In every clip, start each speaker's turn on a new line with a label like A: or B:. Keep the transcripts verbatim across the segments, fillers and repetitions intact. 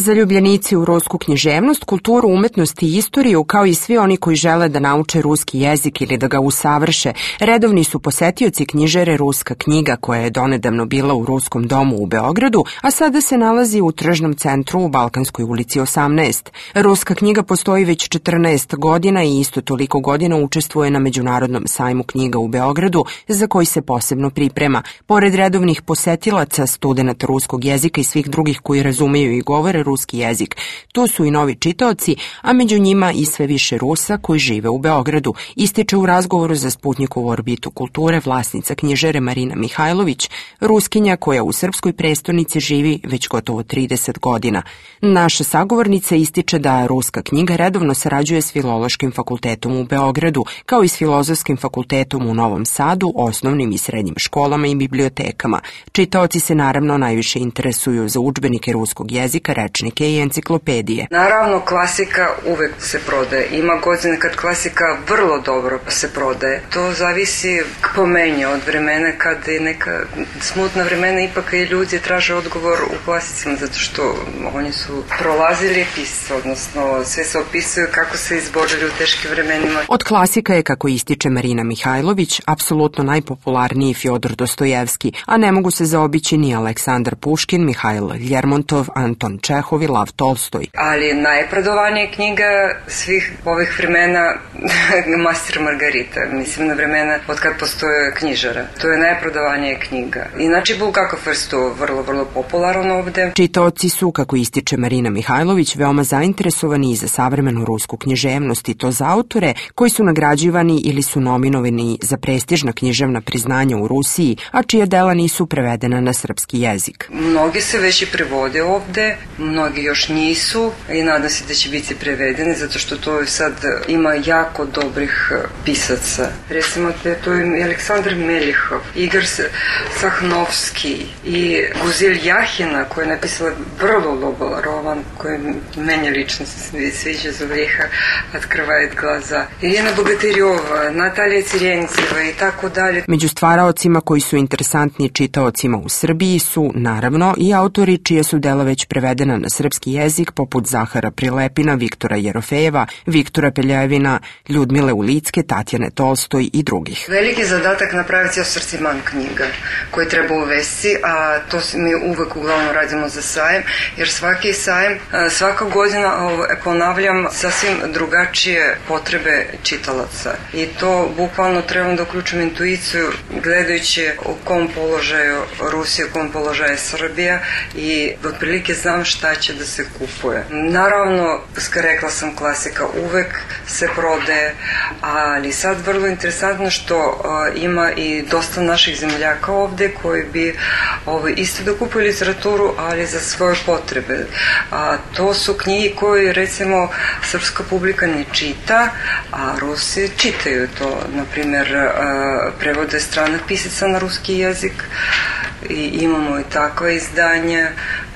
A: Zaljubljenici u rusku književnost, kulturu, umetnost i istoriju, kao i svi oni koji žele da nauče ruski jezik ili da ga usavrše, redovni su posetioci knjižare Ruska knjiga, koja je donedavno bila u Ruskom domu u Beogradu, a sada se nalazi u tržnom centru u Balkanskoj ulici osamnaest. Ruska knjiga postoji već četrnaest godina i isto toliko godina učestvuje na Međunarodnom sajmu knjiga u Beogradu, za koji se posebno priprema. Pored redovnih posetilaca, studenata ruskog jezika i svih drugih koji razumeju i govore ruski jezik, tu su i novi čitaoci, a među njima i sve više Rusa koji žive u Beogradu, ističe u razgovoru za Sputnjikovu orbitu kulture vlasnica knjižare Marina Mihajlović, Ruskinja koja u srpskoj prestonici živi već gotovo trideset godina. Naša sagovornica ističe da Ruska knjiga redovno sarađuje s Filološkim fakultetom u Beogradu, kao i s Filozofskim fakultetom u Novom Sadu, osnovnim i srednjim školama i bibliotekama. Čitaoci se naravno najviše interesuju za udžbenike ruskog jezika, rečnike i enciklopedije.
B: Naravno, klasika uvek se prodaje. Ima godine kad klasika vrlo dobro se prodaje. To zavisi po meni od vremena kad je neka smutna vremena, ipak i ljudi traže odgovor u klasicima, zato što oni su prolazili pisce, odnosno sve se opisuje kako se izborili u teškim vremenima.
A: Od klasika je, kako ističe Marina Mihajlović, apsolutno najpopularniji Fjodor Dostojevski, a ne mogu se zaobići ni Aleksandar Puškin, Mihajl Ljermontov, Anton Čehov i Lav Tolstoj.
B: Ali najprodovanija knjiga svih ovih vremena Master Margarita, mislim na vremena od kad postoje knjižara. To je najprodovanija knjiga. Inače, Bulgakov vrstu vrlo, vrlo popularan ovde.
A: Čitaoci su, kako ističe Marina Mihajlović, veoma zainteresovani i za savremenu rusku književnost, i to za autore koji su nagrađivani ili su nominovani za prestižna književna priznanja u Rusiji, a čija dela nisu prevedena na srpski jezik.
B: Mnogi se već i prevode ovde, mnogi još nisu i nadam se da će biti prevedeni, zato što to sad ima jako dobrih pisaca. Recimo, to je Aleksandar Melihov, Igor Sahnovski i Guzel Jahina, koja je napisala vrlo dobar roman koji meni lično se sviđa, Zovljeha Otkrvajet glaza. Irina Bogatirjova, Natalija Cirenceva i tako dalje.
A: Među stvaraocima koji su interesantni čitaocima u Srbiji su, naravno, i autori čije su dela već prevedena na srpski jezik, poput Zahara Prilepina, Viktora Jerofejeva, Viktora Peljevina, Ljudmile Ulicke, Tatjane Tolstoj i drugih.
B: Veliki zadatak napraviti asortiman knjiga koji treba uvesti, a to mi uvek uglavnom radimo za sajem, jer svaki sajem, svaka godina ponavljam sasvim drugačije potrebe čitalaca. I to bukvalno trebam da uključim intuiciju gledajući u kom položaju Rusija, u kom položaju Srbija i otprilike znam šta će da se kupuje. Naravno, rekla sam, klasika uvek se prodaje, ali sad vrlo interesantno što ima i dosta naših zemljaka ovde koji bi ovaj, isto da kupuju literaturu, ali za svoje potrebe. A, to su knjige koje, recimo, srpska publika ne čita, a Rusi čitaju to. Naprimer, prevode stranih pisaca na ruski jezik i imamo i takva izdanja.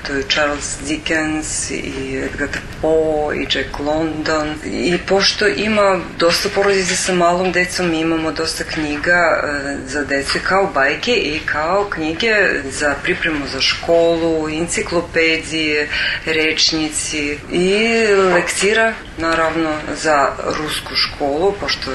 B: To je Charles Dickens i Edgar Poe i Jack London. I pošto ima dosta porodica sa malom decom, mi imamo dosta knjiga za decu kao bajke i kao knjige za pripremu za školu, enciklopedije, rečnici i lektira, naravno, za rusku školu, pošto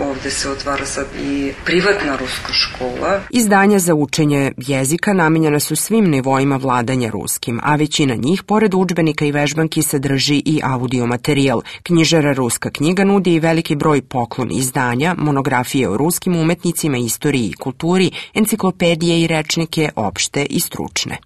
B: ovde se otvara sad i privatna ruska škola.
A: Izdanja za učenje jezika namenjena su svim nivoima vladanja ruskim, a većina njih, pored udžbenika i vežbanki, sadrži i audio materijal. Knjižara Ruska knjiga nudi i veliki broj poklon izdanja, monografije o ruskim umetnicima, istoriji i kulturi, enciklopedije i rečnike opšte i stručne.